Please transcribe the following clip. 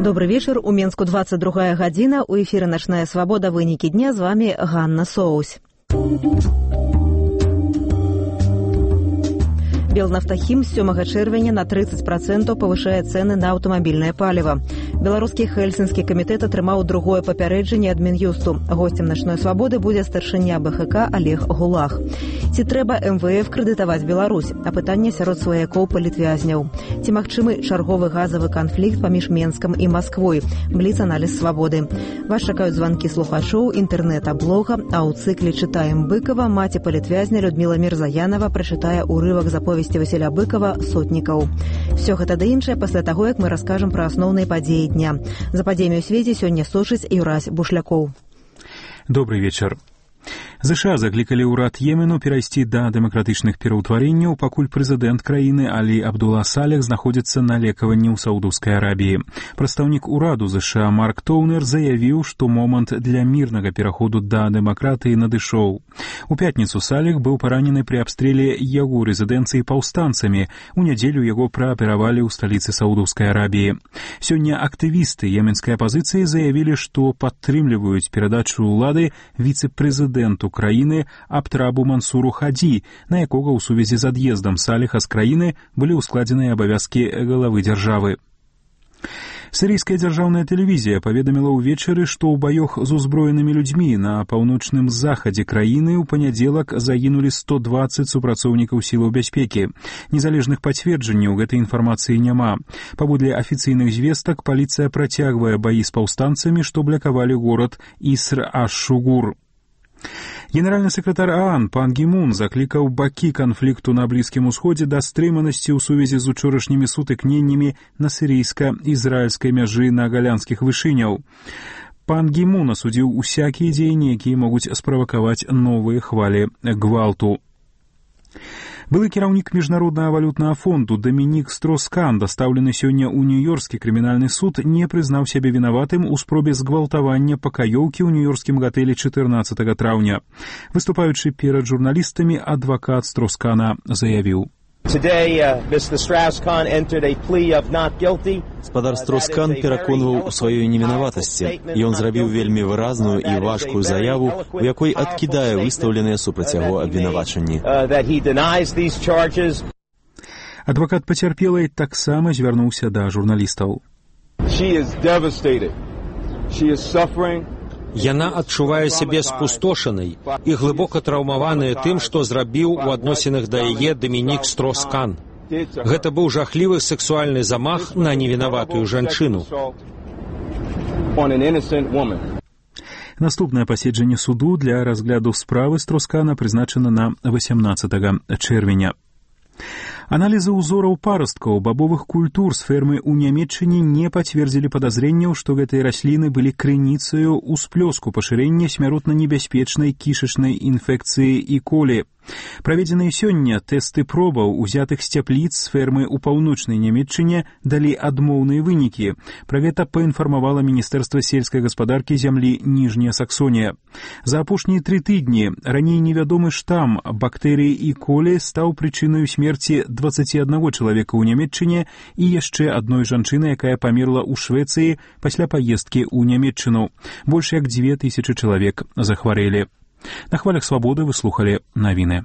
Добрый вечер. У Менску 22 гадзіна. У эфіры «Начная свобода». Вынікі дня. З вами Ганна Соусь. Белнафтахім з 7 чэрвеня на 30% павышае цэны на аўтамабільнае паліва. Беларускі Хельсінскі камітэт атрымаў другое папярэджанне ад Мін'юсту. Госцем «Начной свободы» будзе старшыня БХК Олег Гулах. Ці трэба МВФ крэдытаваць Беларусь? Апытанне сярод сваякоў палітвязняў. Ці магчымы чарговы газавы канфлікт паміж Менскам і Масквой? Бліц-аналіз свабоды. Вас чакаюць званкі слухачоў, інтэрнэта, блога, а ў цыкле «Чытаем Быкова» маці палітвязня Людміла Мірзаянова прачытае ўрывак заповесці Васіля Быкова «Сотнікаў». Всё гэта да іншае пасля таго, як мы раскажам пра асноўныя падзеі дня. За падзеямі ў свеце сёння сочыць Юрась Бушлякоў. Добрый вечар. ЗША заклікалі ўрад Йемену перайсці да дэмакратычных пераўтварэнняў, пакуль прэзідэнт краіны Алі Абдулла Салех знаходзіцца на лекаванні ў Саудаўскай Арабіі. Прадстаўнік ураду ЗША Марк Тоўнер заявіў, што момант для мірнага пераходу да дэмакратыі надышоў. У пятніцу Салех быў паранены пры абстрэле яго рэзідэнцыі паўстанцамі. У нядзелю яго прааперавалі ў сталіцы Саудаўскай Арабіі. Сёння актывісты йеменскай апазіцыі заявілі, што падтрымліваюць перадачу ўлады віцэ-прэзідэнту краіны Абтрабу Мансуру Хадзі, на якога ў сувязі з ад'ездам Салеха з краіны былі ўскладзеныя абавязкі главы дзяржавы. Сірійская дзяржаўная тэлевізія паведаміла ўвечары, што ў баёх з узброенымі людзьмі на паўночным захадзе краіны ў панядзелак загінулі 120 супрацоўнікаў сілаў бяспекі. Незалежных пацверджанняў гэтай інфармацыі няма. Паводле афіцыйных звестак, паліцыя працягвае баі з паўстанцамі, што блакавалі горад Иср-аш-Шугур. Генеральны сакратар ААН Пан Гі Мун заклікаў бакі канфлікту на Блізкім Усходзе да стрыманасці ў сувязі з учорашнімі сутыкненнямі на сірыйска-ізраільскай мяжы на галянскіх вышыняў. Пан Гі Мун асудзіў усякія дзеянні, якія могуць справакаваць новыя хвалі гвалту. Былы кіраўнік Міжнароднага валютнага фонду Дамінік Строскан, дастаўлены сёння ў Нью-Йоркскі крымінальны суд, не прызнаў сябе вінаватым у спробе згвалтавання пакаёўкі ў нью-йоркскім гатэлі 14 траўня. Выступаючы перад журналістамі, адвакат Строскана заявіў: Спадар Строскан пераконваў у сваёй невінаватасці. Ён зрабіў вельмі выразную і важкую заяву, у якой адкідае выстаўленыя супраць яго абвінавачанні. Адвакат пацярпелай таксама звярнуўся да журналістаў. Яна адчувае сябе спустошанай і глыбока траўмаваная тым, што зрабіў у адносінах да яе Дамінік Строскан. Гэта быў жахлівы сексуальны замах на невінаватую жанчыну. Наступнае паседжанне суду для разгляду справы Строскана прызначана на 18 чэрвеня. Аналізы ўзораў парасткаў бабовых культур з фермы ў Нямецчыне не пацвердзілі падазрэнняў, што гэтыя расліны былі крыніцаю ўсплёску пашырэння смяротна небяспечнай кішачнай інфекцыі і колі. Праведзеныя сёння тэсты пробаў, узятых з цяпліц з фермы ў паўночнай Нямецчыне, далі адмоўныя вынікі. Пра гэта паінфармавала Міністэрства сельскай гаспадаркі зямлі Ніжняя Саксонія. За апошнія 3 тыдні раней невядомы штам бактэрыі і колі стаў прычынаю смерці 21 чалавека ў Нямецчыне і яшчэ адной жанчыны, якая памерла ў Швецыі пасля паездкі ў Нямецчыну. Больш як 2000 чалавек захварэлі. На хвалях свабоды вы слухалі навіны.